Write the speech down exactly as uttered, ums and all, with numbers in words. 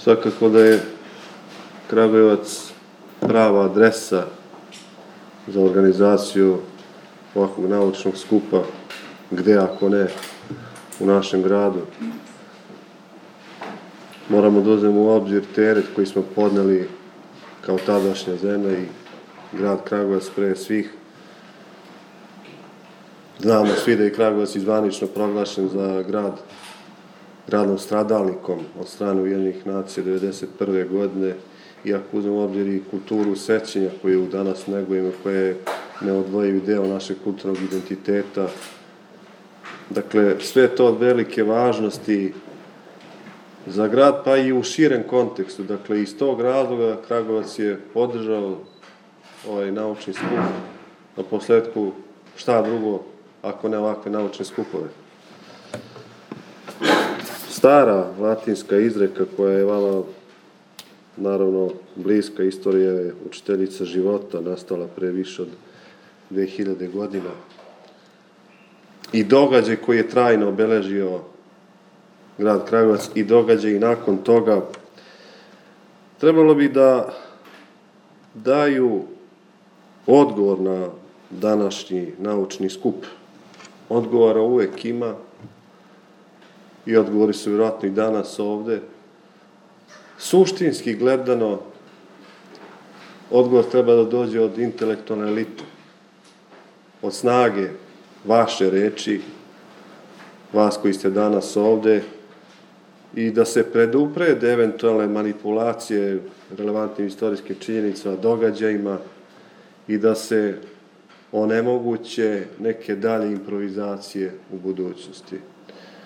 Svakako da je Kragujevac prava adresa za organizaciju ovakvog naučnog skupa, gde ako ne u našem gradu. Moramo da uzmemo u obzir teret koji smo podneli kao tadašnja zemlja i grad Kragujevac pre svih. Znamo svi da je Kragujevac izvanično proglašen za grad gradom stradalnikom od strane Ujedinjenih nacija devedeset prve godine, iako uzmemo u obzir i kulturu sećanja koju danas negujemo, koja je neodvojivi deo našeg kulturnog identiteta. Dakle, sve to od velike važnosti za grad, pa i u širem kontekstu. Dakle, iz tog razloga Kragujevac je podržao ovaj naučni skup, na posledku šta drugo ako ne ovakve naučne skupove. Stara latinska izreka koja je vama naravno bliska, istorija je učiteljica života, nastala pre više od dve hiljade godina. I događaj koji je trajno obeležio grad Kragujevac i događaj i nakon toga, trebalo bi da daju odgovor na današnji naučni skup. Odgovora uvek ima i odgovori su vjerojatno i danas ovde. Suštinski gledano, odgovor treba da dođe od intelektualne elite, od snage vaše reči, vas koji ste danas ovde, i da se preduprede eventualne manipulacije relevantnim istorijskim činjenicama, događajima i da se onemoguće neke dalje improvizacije u budućnosti.